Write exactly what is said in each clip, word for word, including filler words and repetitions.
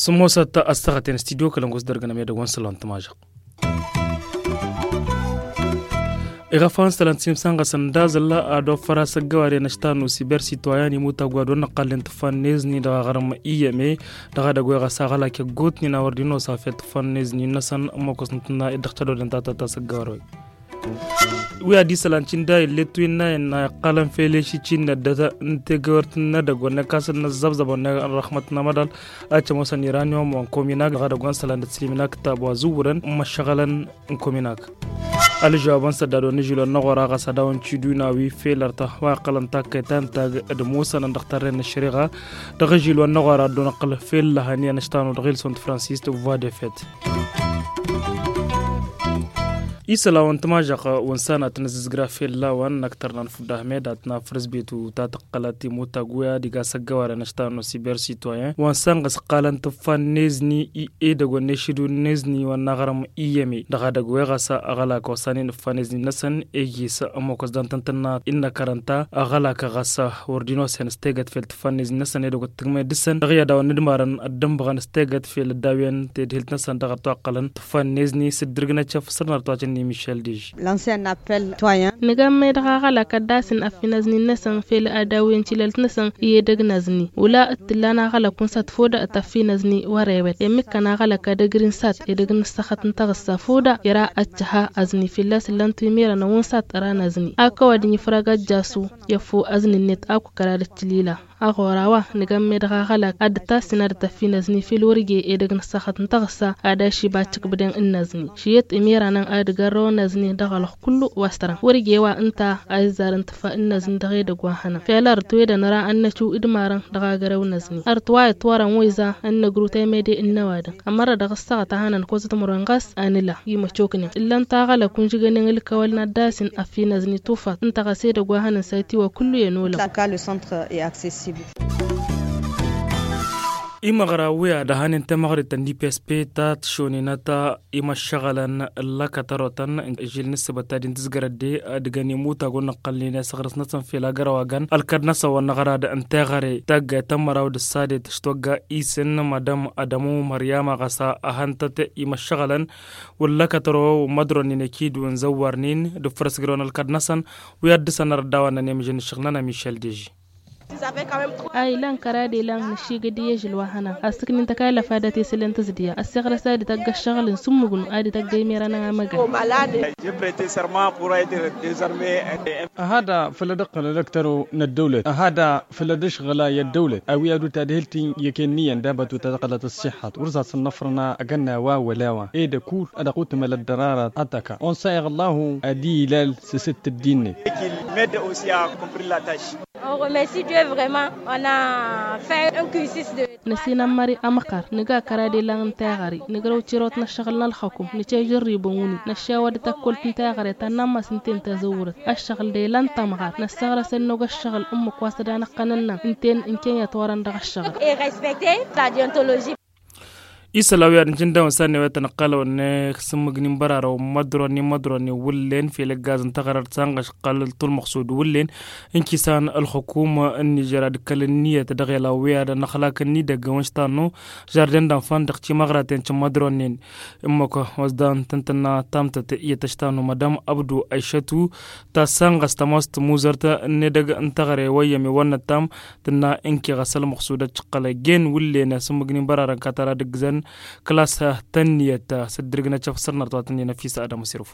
Sǝmmosăt ăssaɣăten studio kălăngus dăr-gănăm edăgg wa n-săllan tămažăɣ. Iɣăfan săllan timsănɣăsăn d-azălla ad-ofăr asăggăware n-aštan n-usiber sitwayan imutagwad wa n-ăqqallen tǝffannezni dăɣ-aɣrǝm iyyăme dăɣ-edăgg wa iɣăs aɣălak iggutnin a wăr dd-inosa fel tǝffannezni-năsăn ămmokăs n-tǝnna ed dăɣ-tădodăn ta tăt-asăggăware-wen. Wi ad-isălan cin da illet wi n-a innă iqqalăn fel ešicin n-ăddăt n-tegăwert n-edăgg wa n-ekasăn n-ăzzăbzăbăn n-răxmăt n-amăḍal. Ad-cămosăn iranium wa n-kominak dăɣ-edăgg wa n-isălan d-silimin aktab wa zǝwwǝrăn n-imăššăɣălăn n-kominak. Ălžăwab n-săddad wa n-ižil wa n-aɣora ɣas ad-dawăn ciduna wi fel ărta wa iqqălăn takkăy ta n-tag d-musănăn dăɣ-tărren n-ăššăriɣa dăɣ-ižil wa n-aɣora ad-dd-onăqqǝl fel lăhăn i-anăštanăw dăɣ-ilson d-fransis d-voie de fête. Isălan wa n-tămažăɣ wa n-sanat n-azǝzgra fel lawan n-aktăr n-anfud ahmed ad-tǝnafrǝs betu ta tăqqălăt imutag wi ad-iga s-ăggăware n-aštanăw siber sitwayen wa n-sanɣăs ǝqqalăn tǝffa n-ezni i edăgg wa n-ešidu n-ezni wa n-aɣrǝm iyyăme dăɣ-edăgg wa iɣas aɣălak wa s-anin ǝffa n-ezni-năsăn ejis ămmokăs dantăn tǝnna innă kărănta aɣălak ɣas wăr dd-inosen s-tegăt fel tǝffa n-ezni-năsăn edăgg wa t-tǝgmăy dăɣ-săn dăɣ-i ad-dawăn n-idmarăn ăddănbăɣăn s-tegăt fel ăddawyen tedhilt-năsăn dăɣ-ătwăqqălăn tǝffa n-ezni s-ǝddǝrgǝnăt šăf săr n-arăt wa cǝnni mišel dej. Nǝgammăy dăɣ-aɣălak ad-dd-asǝn ăffinăzni-năsăn fel ad-dawwen tilălt-năsăn i-edăgg n-azni wăla t-tǝllan aɣălak unsa tăfodă tăffinăzni wăr-ewăt emmǝkkăn aɣălak ad-ăgrin sat edăgg n-ǝssăxăt n-taɣǝssa fodă ira ăccăha azni fălla-s ǝllan-tu imirăn ăwwǝn sat ăran azni akăwăd n-ifrag ăjjasu i-ăffu azni-net akǝw kăra d-ăccǝlila. Aɣora wa nǝgammăy dăɣ-aɣălak ad-dd-tasǝn ad-tăffinăzni fel wăr-ije edăgg n-ǝssăxăt n-taɣǝssa ad-ašibăcc ǝkbǝden n-azni šiyăt emiranăn ad-gărrăwăn azni dăɣ-alăx kullu wa s-tărăn wăr-ije wa ǝnta a izzarăn tǝffa n-azni dăɣ-edăgg wa hănăn fel ărăt wedăn ra ad-năciw idmarăn dăɣ-agărew n-azni ărăt wa itwărăn wa iza ad-năgru temede n-năwadăn ămărra dăɣ-ǝssaɣăt a hănăn kozăt măron ɣas a nǝla imăcoknen ǝllăn taɣălăk unžǝgănen ǝlkăwăl n-ad-dd-asǝn ăffinăzni tufăt ǝnta ɣas edăgg wa hănăn s-a itiwa kullu i-ănolăm. Imăɣra wi ad-ăhanen temăɣrit n-ipsp ta tǝššoninăt imăššăɣălăn n-lăkătărotăn ižil n-ǝssǝbăt ta din tǝzgărăt de ad-ǝgăn imutag wa n-ăqqălnen i-asăɣrǝs-năsăn fel agăraw agăn ălkăd-năsăn wa n-aɣrad n-teɣăre taggayt ta n-măraw d-ăssadet tǝštogga isǝn madăm adămu măryama ɣas a hăn-tăt imăššăɣălăn wăr lăkătăro wăr mădronin ekid wăr n-zăwwărnin d-ǝffărăs ǝgrăwăn ălkăd-năsăn wi ad-dăr-săn ărăt daw-annăn i-mǝžăn n-ǝššăɣǝl-nănăm išăl deži. A ilan kăra d-ilan nǝššigăd i-ežăl wa hănan asǝknin tăkallăf ad-ătesǝlăn tǝzdǝya ăssiɣrăs ad-ităgg ăššăɣǝl n-sǝmmǝgnu ad-ităgg emirănăn amăgăl. Ăhada făll-ad-ǝqqǝl ălăktăro n-ăddăwlăt ăhada făll-ad-ǝšɣǝla i-ăddăwlăt a-wi ad-utadhǝlt i-ăkenniyăn d-abatut ad-ăqqălăt ăṣṣiḥăt wăr s-ad-săn năfrăna agănna wa wăla wa ed ăkur ad-ăqqutǝmăl ăddărarat ad-tăka unsa iɣǝllahu ad-ilal s-asǝttǝddin-net. Năsinămmări ămăqqar nǝga kăra d-ilan n-teɣăre nǝgrăw tirăwt n-ăššăɣǝl n-ălxăkum nǝce žărribăn wǝnnin năššewăd tăkkolt n-teɣăre ta n-ammas ǝnta i-n tazăwwărăt ăššăɣǝl d-ilan tămɣar năssăɣrăs ănnog ăššăɣǝl ǝmmǝk wa s-ădanăɣ-tăn ǝnnan ǝnta i-n kăyyăt wărăn dăɣ-ăššăɣǝl. Isălan wi ad-nǝjǝndawăn s-ad-newăyăt ănăqqalăwăn n-sǝmmǝgnin bărarăw mădronin mădronin wǝllen fel ǝggaz n-taɣărărt s-anɣăš ǝqqal tulmăɣsud wǝllen ǝnkisan ălxukum n-nižer ad-kăl-ǝnniyăt dăɣ-elaw wi ad-ănăxlak n-idăgg wa n-ištanu žarden d-anfan dăɣ-timăɣraten cǝmmădronin. Ǝmmǝk wa s-dan tǝntǝnna tamtăt iyyăt ăštanu madam abdu ăyšătu ta s-anɣăs tămost muzărt n-edăgg n-taɣăre wa iyyăm iwănnăt tam tǝnna ǝnki ɣas ălmăɣsud ăccăqqăl ăjjeen wǝllen asǝmmǝgnin bărarăn katara d-ǝggǝzăn klas tănniyăt s-dd-irǝgnăt šăf săr-năr tawatăn-in ăfis adăm s-irǝf.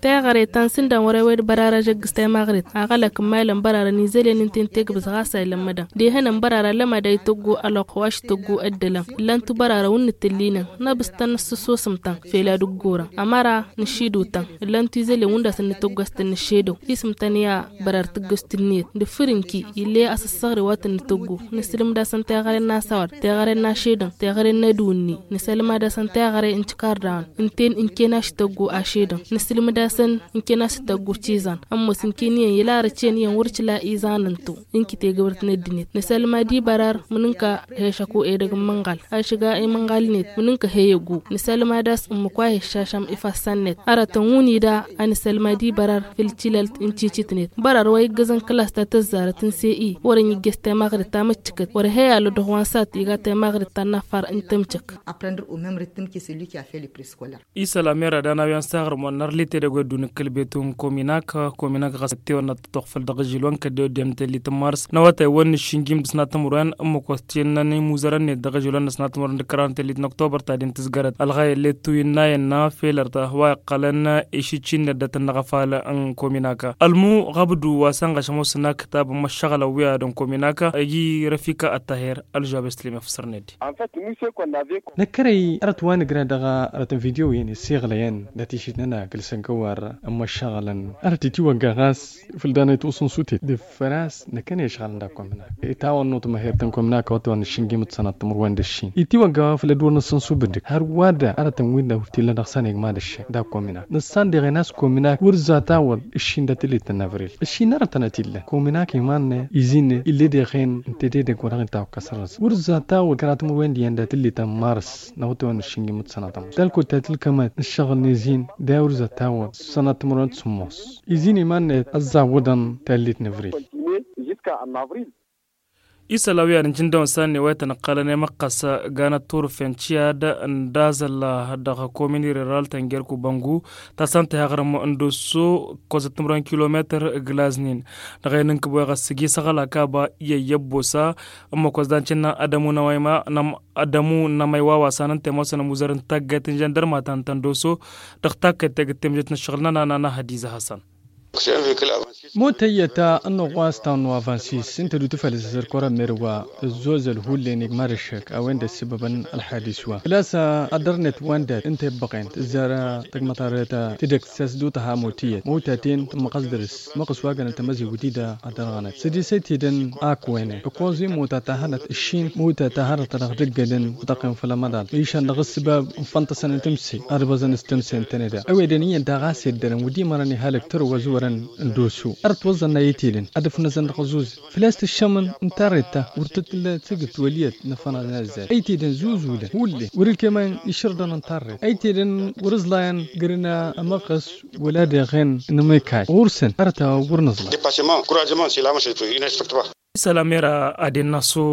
Teɣăre ta n-sǝndan wăr-ewed bărarăš ăggǝs temăɣrit aɣălăk n-imalăn bărarăn izălen ǝnta i-n tegbǝs ɣas a ilămmădăn d-ehănăn bărarăn lămad a ităggu ălwăqq wa s-tăggu ăddălăm ǝllan-tu bărarăn wǝnnǝt tǝllinăn năbǝstăn nǝssǝsosăm-tăn fel ad-ǝggurăn ămăra nǝššidǝw-tăn ǝllan-tu izălen wǝnda s-ănnităggu a-s tăn-nǝššedăw isǝm-tăn i-a bărar tǝggăst ǝnniyăt d-fǝr ǝnki ill'-e asǝssăɣre wa tăn-nǝtăggu nǝsǝlǝmd-asăn teɣăre n-asawăr teɣăre n-ašedăn teɣăre n-edǝwǝnni nǝsălmad-asăn teɣăre n-tikardawăn. Ǝnta-en ǝnken ašităggu ašedăn nǝsǝlmǝd-asăn ǝnken ašităggu cizan. Ămoos ǝnken iyyăn ilarăcen iyyăn wăr cǝla izan ǝnto ǝnki tegăwărt n-ăddinăt nǝsălmad ibărar mǝnǝnka hešăku edăgg n-imănɣal ašǝga imănɣal-net mǝnǝnka heyăggu. Nǝsălmad a-s ǝmmǝk wa heššašăm ifassăn-net arătăn wǝnida a nǝsălmad ibărar făll-tilălt n-cicitnet bărar wa iggăzăn kălas ta tăzzarăt n-se-i wăr-ănn iggăz temăɣrit ta măccăkăt wăr-e heyalăd dăɣ-wa n-sat iga temăɣrit ta n-affar n-tămcăk. Apprendre au même rythme que celui qui a fait le préscolaire. Isăl amera d-anawyan s-aɣrǝm wa n-arlit edăgg wa dd-unǝkkǝl betu n-kominak kominak ɣas ăttewănna tătoɣfăl dăɣ-ažil wa n-kădde oddem n-tellit n-mars n-awătay wa n-nǝššǝnjim dăɣ-s n-atămur wa n-ămmăk wa s-tinnăn imuzărăn-net dăɣ-ažil wa n-năsnatămur wa n-dăkkăran n-tellit n-oktober ta din tǝzgărăt ălɣayăt lettu innayăn n-afelăr ta wa iqqălăn išǝcci-net dat-ănnăɣ afal n-kominak. Ălmu ɣabdu wa s-ănɣăš ămoosăn akǝtab n-imăššăɣălăn wi ad-ănkominak agi răfika ăttahir ălžabes tǝlem efsărned. Năkkărăy arăt wa nǝgra dăɣ-arăt n-video-in issăɣlăyăn dat-išǝtnăna kǝlsăn kăwar n-imăššăɣălăn arăt itiwăgga ɣas făll-danăy tuṣǝnsutet d-făras năkkăne ăšɣalăn d-akkominaka itawănnuṭ măher tăn-kominaka wa tăn-išǝnjim d-sănat timǝrwen d-ǝššin itiwăgga wa făll-ădduur n-ǝssǝnsu bǝddǝk har wa dd-arătăn win-dăɣ wăr t-illa dăɣ-săn egma d-ǝššin d-akkominaka nǝssan deɣen a-s kominaka wăr zatawăḍ ǝššin dat-ǝllit n-avril ǝššin arătăn a t-illan kominaka iman-net izin-net ill'-e deɣen ǝnta d-edăgg wa dăɣ-inta wa ǝkkăs ărrăs wăr zatawăḍ kăra timǝrwen d-iyyăn dat-ǝllit n-mars n-awătay wa n-ǝššin jimǝt sănatăm talkut ta tǝlkămăt n-ǝššăɣǝl n-izin d-a wăr zatawăḍ sănatăm rănt sǝmmos izin iman-net ăzzawăḍăn tallit n-avril. Isăl a-wi ad-ǝnjǝn dăɣ-wăn s-ad-newăyăt ănăqqalăn i-măqqăs ganăt turfen ciyad n-dazăl dăɣ-komin ireral tăngerku băngu ta s-ănta i-aɣrǝm n-dosso kozăt timǝrwen kilometăr glaznin dăɣ-e n-ǝnkǝb wa iɣăs sǝgi săɣăl akaba i-ăyyăbbosa ǝmmăk wa s-dan cǝnna ădămu n-amăyma n-amăyma ădămu n-amăywa wa s-anăn temosăn ămuzăr n-taggayt n-žăndărma ta n-tăndoso dăɣ-takkăyt tegǝttem žăt n-ǝššăɣǝl-nănăn anăhăd izahăsăn. Motăyyăt ănnuɣ wa s-tawăn wa vansis ǝnta d-utǝfăl s-ăzărkor ămmer wa ăzzozăl hullen igmad ăššăk a-wen-dăɣ ǝssǝbăbăn ălḥadis wa făl-a-s ad-dăr-net wa n-dat ǝnta i-ǝbbăɣen tǝzzar tăgmăḍarret tidăkt s-a-s d-utăha motăyyăt motăten tǝmmăɣăs dăr-s măqqăs wa gănăt tămăzewt-i-dăɣ ad-dărɣănăt sădisăy tidăn ak wene ǝkkoẓ-i mota ta hărăt ǝššin mota ta hărăt a dăɣ-dăggădăn wătăqqen făll-ămăḍal išăn dăɣ-ǝssǝbab n-fănṭăsăn n-tǝmse ad-ăbăẓăn s-tǝmse ǝntăne daɣ ăwedăn iyyăn daɣ a-s eddărăn wăr dd-imărăn ihălăk tărwa zuwărăn n-doso ărăt wăẓẓăn a itedăn ad-ǝfnăzăn dăɣ-ăẓuẓ făl-a-s tǝššămăn n-tarret ta wăr tǝtǝllăt tǝgǝt wăl' iyyăt n-afănăɣ n-azzal a itedăn zuzulăn hullen wăr-ǝlkemăn išǝrdăn n-tarret a itedăn wăr-ǝẓlayăn gărǝna ămăqqăs wăla deɣen n-amekay ɣur-săn ărăt a wăr nǝẓla. Isălan mera ad-innăsu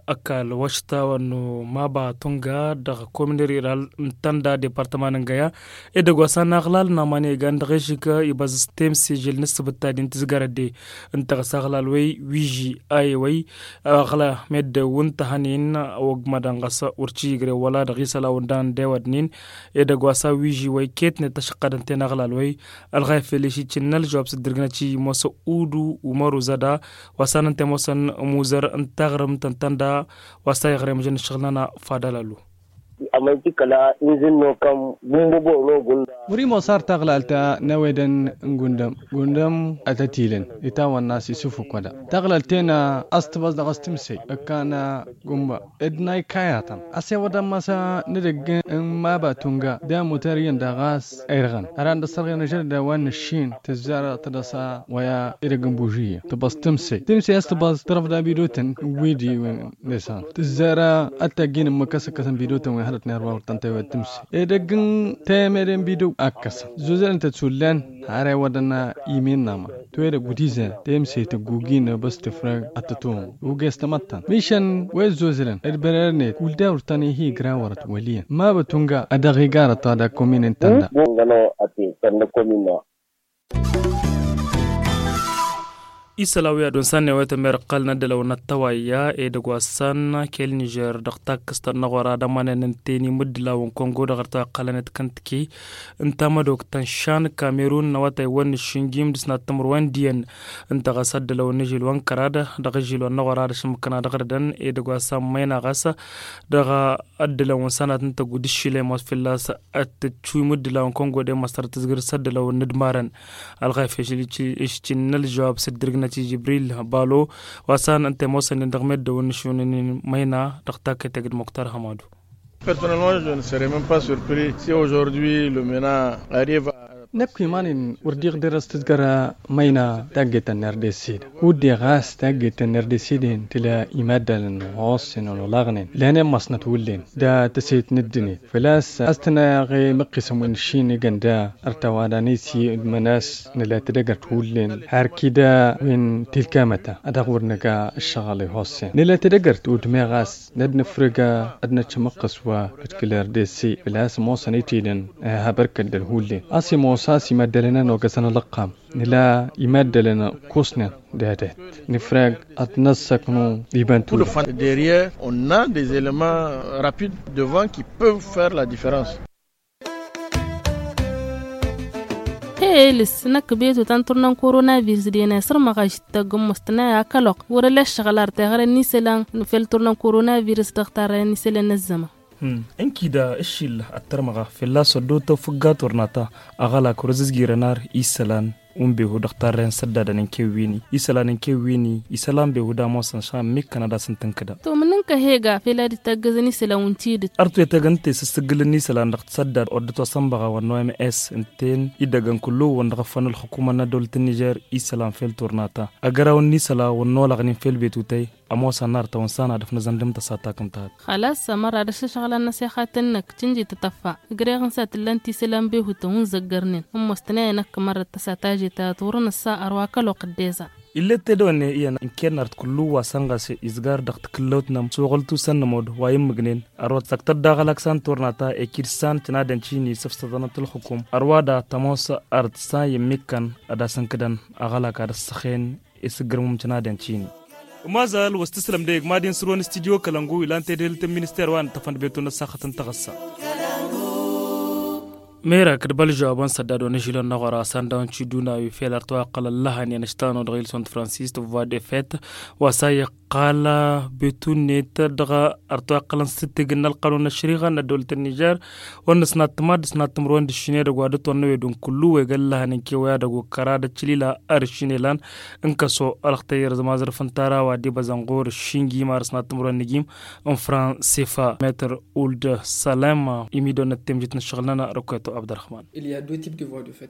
ăkall wăšta wănnu maba tunga dăɣ-komin riral n-tanda departăma n-ǝngăya edăgg wa s-ănaɣlal n-aman igan dăɣ-ežǝk ibăẓ s-temsijǝl n-ǝssǝbǝt ta din tǝzgărăt de ǝnta ɣas aɣlal wăy wiži a ewăy aɣla meddewǝn tăhănin ăwăgmădăn ɣas wăr t-ijǝgre wăla dăɣ-isălan wǝndan d-ewădnin edăgg wa s-a wiži wăy ketnet tăšăqqădăn-ten aɣlal wăy ălɣayfel išǝccǝn n-ălžăwab s-ǝddǝrgǝnăt i-mosă udu umăru zăda wa s-anăn temosăn ămuzăr n-taɣrǝmt n-tănda wa s-a iɣrem žăn ǝššăɣǝl-nănăɣ fadălălu. Amăyt ikăla inzǝnno kăm gumba bono gunda. Wăr-imosar taɣlalt n-ewedăn n-gundăm gundăm ad-tăt-ilăn itawănna s-isǝfuk wăda taɣlalt-en a-s tǝbăẓ dăɣ-s tǝmsăy ǝkkan gumba ed n-a ikayătăn a-s ewăḍăn masa n-edăgg n-maba tunga d-amuter iyyăn daɣ a-s irɣăn ăran dăr-s ărɣen ažădăd a-wa n-ǝššin tǝzzar tădăsa wa i-edăgg n-bužǝyya tǝbăẓ tǝmsăy tǝmsăy a-s tǝbăẓ tărăfda bidotăn n-widi wen-dăɣ-săn tǝzzar ad-tăjjin ǝmmǝk a-s ǝkkăsăn bidotăn wen hărăt n-erwa wăr tăn-tewăd tǝmsăy edăgg n-temede n-bido a ǝkkăsăn zozălăn-tăt s-ullan har ewăḍăn imen n-aman toyădăg wăr t-izan temsăy tăggugin băs tǝfrăg ad-tătohăn uges tamăttant mišăn wa izzozălăn d-bărăr-net wăl-da wăr tăn-ihi igra wărăt wăl' iyyăn mabăt unga a dăɣ-igarăt ta d-akkomin n-tanda. Isălan wi ad-unsan n-ewăyăt ămmer ǝqqălăn ăddălăw n-ăttăwayya edăgg wa s-san kel nižer dăɣ-takkǝst ta n-aɣora d-ămănen n-teni mǝddǝlaw n-kongo dăɣ-ărta ăqqălăn d-kăntǝki n-tamădokt ta n-šan kamerun n-awătay wa n-ǝššǝnjim d-sănat timǝrwen d-iyyăn ǝnta ɣas ăddălăw n-ažil wa n-kăraḍ dăɣ-ažil wa n-aɣora d-ašǝmmǝkăn ad-ăɣrǝdăn edăgg wa s-ammăyna ɣas dăɣ-ăddălăw n-sănat n-tăggu d-aššilem wa s-fălla-s ad-tǝtšuy mǝddǝlaw n-kongo d-e-măsăr tǝzgǝr s-ăddălăw n-inǝdmarăn ălɣayf išǝccǝn n-ălžăwab s-ǝddǝrǝgnăt i-jibril balo wa s-an ǝnta i-ămoosăn-in dăɣ-meddǝwăn n-ašunăn-in măyna dăɣ-takkăyt egg d-muktar hămadu. Personnellement, je ne serai même pas surpris si aujourd'hui le mena arrive à. Năkk iman-in wăr diɣ derăs tǝzgăr măyna tagget n-rdc-dd. Udde ɣas tagget n-rdc-dd-in tǝla imaddalăn ɣossin n-olaɣnen lănen măsnăt wullen da tăset n-ǝddǝnet făl-a-s a-s tǝnna i-măqqisăn wi n-ǝššin igănda ărtăwada n-isi d-mănas. Nǝla tedăgărt wullen har kida wi n-tilkamăta a dăɣ-wăr nǝga ǝššăɣăl i-hossen nǝla tedăgărt udme ɣas n-ad-nǝfrǝg ad-năcc amăqqǝs wa d-kǝl rdc făl-a-s ămoosăn itedăn. Habărkăt d-ălhulle a-s imoos a-s imaddălăn a n-ogăsăn ălăqqam nǝla imaddălăn kusnen d-adet nǝfrag ad-năssăknu. Iban tuda. Derrière on a des éléments rapides devant qui peuvent faire la différence. He elǝs năkk betu ta n-turna n-koronavirǝs dena isǝrmăɣ ašǝttăg n-mostănay akăloq wăr-ăla ǝššăɣǝl ar teɣăre n-isălan fel turna n-koronavirǝs dăɣ-tarrăyăn isălan n-ăzzăman. Ǝnkida ǝššil ad-tărmăɣa fălla-s ăddootăw fǝgga turna ta aɣălak wăr-ăzǝzgirăn ar isălan. Wǝnbehu dăɣ-tarrăyăn săddadăn n-kewwini isălan n-kewwini isălan behu d-ămoosăn šan ǝmmikkăn ad-asǝn-tǝnkǝdăn. Tumǝnǝn kăhega fel ad-dd-taggăzăn isălan wǝn tidǝt. Ărtwetăg ǝnta i-sǝssǝggǝl n-isălan dăɣ-tăsăddad orădăt wa sănbăɣa wa n-oms idăgg n-kullu-wăn dăɣ-ăffan ǝlxǝkumăn n-ăddăwlăt n-nižer isălan fel turna ta. Agăraw n-isălan wăr n-olăɣnin fel betutăy ămoosăn n-artăwăn s-anadăf n-azăndǝm tăsata kǝmtăhăt. Xălas ămăra d-ăššăšɣălăn n-asixat-năk tǝnji tătăffa. Ǝgreɣ n-sa tǝllan tisǝlan behutăn wǝn zăggărnen ămmostănăyăn ăkk mărrăt tăsata žeta turăn ǝssa ărwa kăloq dd-eza. Ill'-e d-tedăwănne iyyăn ǝnken nart kullu wa săn ɣas izgar dăɣ-takǝllăwt-năm suɣǝl tusăn n-ămood wa immǝgnen. Ărwa tăsăktăt daɣ ălak san turna ta ekid san tǝnadăn cini săfsăḍănăt ǝlxǝkum ărwa da tămoos art san i-ǝmmikkăn ad-asǝnkǝdăn aɣălak ad-ăssăxen. Isǝggǝrmǝm tǝnadăn cini. Ămazal wa s-tǝslăm dăɣ-egg mad-in sǝrwăn studyo kălăngu ilan tedhǝlt n-minister wa n-tăfăn d-betu n-ăssaxăt n-taɣǝssa. Merak d-bălžăwabăn săddadon ažilăn n-aɣora sandawăn ciduna wi fel ar tăwaqqălăn lăhăn i-anăštanu dăɣ-ilson d-fransis tǝvva d-efet wa s-a iqqal betu-net dăɣ-ar tăwaqqălăn s-tǝttegǝn n-ălqanun n-ăšriɣa n-ăddăwlăt n-nižer. Wăr nǝsnattăm ad-dd-snattăm ărwen d-ǝššin edăgg wa dd-ătwănnăwed n-kullu wa igăn lăhăn n-kewăy ad-ăgg wa kăra d-ăččălila ar ǝššin elan n-kăso ălxtăyyăr zămazărăf n-tara wa d-ibăzăn ɣur-ǝššin gim ar ǝsnattăm ărwen n-igim n-fransifa metăr uld sălem. Imidăwăn n-ăttemjit n-ǝššăɣǝl-nănăɣ rǝkweto abdărăxman.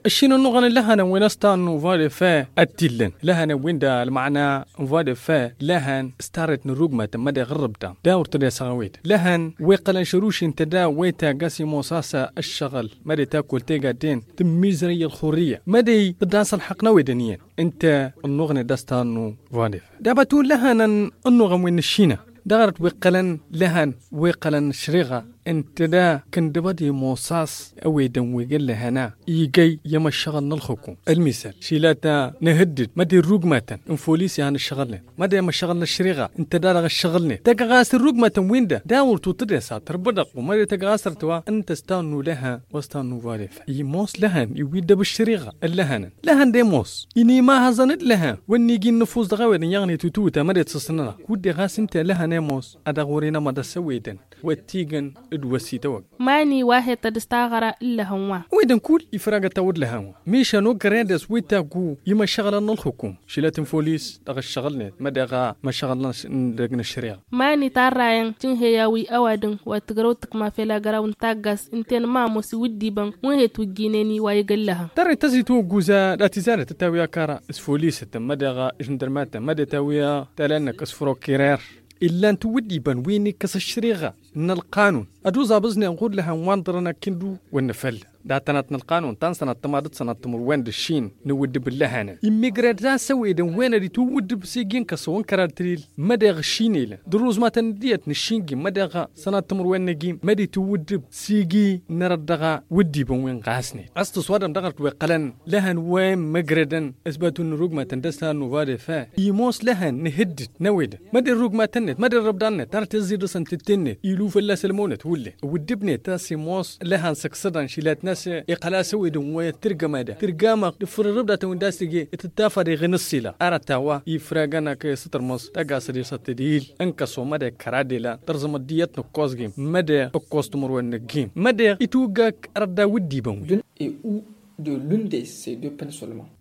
Ǝššin ănnuɣăn n-lăhănăn wi n-ăstan n-uva d-efe ad-t-illăn lăhănăn-win-dăɣ ălmăna n-uva d-efe lăhăn s-tarret n-ărrugmatăn mădeɣ ărrăbda d-a wăr tădesăɣ a-wen-dăɣ lăhăn wi ǝqqălăn šăruši ǝnta da wa itagg a-s imoos a-s ǝššăɣǝl măde takull tegadden tǝmmizărăy ălxurrǝyya măde tǝddas ălxăqq n-a-wen-dăɣ iyyăn. Ǝnta ănnuɣnet d-ăstan n-uva d-efe dabătun lăhănăn ănnuɣăn wi n-ǝššinăɣ dăɣ-arăt wi ǝqqălăn lăhăn wi ǝqqălăn ăšriɣa ǝnta da kǝndǝbăd imoos a-s ăwedăn wi găllăhăn a igăy i-ămăššăɣǝl n-ălxǝkum. Ălmisăl šila ta nǝhǝddǝd măde ărrugmatăn n-folis i-han ǝššăɣǝlnen măde ămăššăɣǝl n-ăšriɣa ǝnta da dăɣ-ǝššăɣǝlnen tăgg ɣas ărrugmatăn-win-dăɣ d-a wăr tutǝd i-s a tărbădăɣ u măde tăgg ɣas ărtăwa ǝnta s-ta n-ulăha wa s-ta n-uvaref. Imoos lăhăn iwwi-dd ăbǝššăriɣa ăllăhănăn lăhăn d-emos inimahăẓăn-dd lăhăn wăr n-iji n-nǝfus dăɣ-ewedăn i-aɣnit ututăn măde t-săsnănăɣ kud-de ɣas ǝnta lăhăn emos a dăɣ-wăr-inămăḍ asăwedăn wa t-igăn d-wăssităwăg. Mani wa he-tădd s-taɣăra n-lăhăn wa. Ăwedăn kull ifragăt tawǝd lăhăn wa mišăn ogre d-ăswitaggu imăšăɣlăn n-ălxukum šilăt n-folis dăɣ-ǝššăɣǝlnet mădeɣ a măšăɣlăn dăgg-năšriɣ. Mani tarrayăn cǝnhăy a-wi ăwadǝm wa tǝgrăw tǝkma fel agăraw n-taggas ǝnta-en ma ămoos iwǝddibăn wa he-twǝjjineni wa igăllăhăn. Tărrăy tăzitwăgguza d-atizarăt tătawi akara s-folisătăn mădeɣ žǝndărmatăn măde tawi tălannăk s-frokirer. Illan tiwǝddibăn wi n-ikkăs ăššăriɣa n-ălqanun ad-uẓabǝẓnen ɣur-lăhăn wa n-ḍărăn akǝndu wăr nǝfălla datănat n-ălqanun ta n-sănattăm ad-dd-sănattăm ărwen d-ǝššin n-iwǝddǝb n-lăhănăn immigre d-asăwedăn wen ad-itiwǝddǝb s-iji n-kăsăwăn kăra d-tǝlil mădeɣ ǝššin elăn d-ărruzmatăn dd-iyyăt n-ǝššin gim mădeɣ sănattăm ărwen n-egim măd-itiwǝddǝb s-iji n-arăt dăɣ-wǝddibăn wi n-ɣasnen. A-s tǝswadăm dăɣ-arăt wi ǝqqălăn lăhăn wen măgredăn s-batu n-irugmatăn d-ăstan n-uvadefe imoos lăhăn n-ihǝddǝd n-ewedăn măd-irrugmatăn-net măd-irrăbdan-net tarăt i-ăẓẓidăsăn tǝtte-net ilu fălla-s ălmăwnăt hullen ǝwǝddǝb-net a-s imoos lăhăn săksădăn šilat n-a-s iqqăl a-s ăwedăn wa i-ăttărgăm ad-tǝrgamăɣ d-ǝffǝr irrǝbdatăn wi n-dd-a-s tǝje tǝttafăd iɣǝn ǝṣṣila arăt a-wa ifragăn akăy-s tărmăẓ tagasăd isăttădil n-kăso măde kăra d-ilan tărzăm ăddiyăt n-ǝkkoẓ gim măde ǝkkoẓ timǝrwen n-ăggim măde itwǝggak rădda wǝddibăn-wi.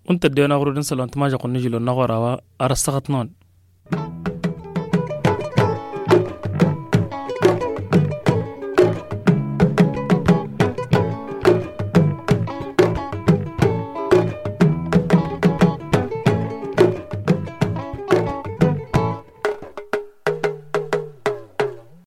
Untădden aɣrud n-sălon timažăɣt n-ažilon n-aɣora wa ar ăssăɣăt-năwăn.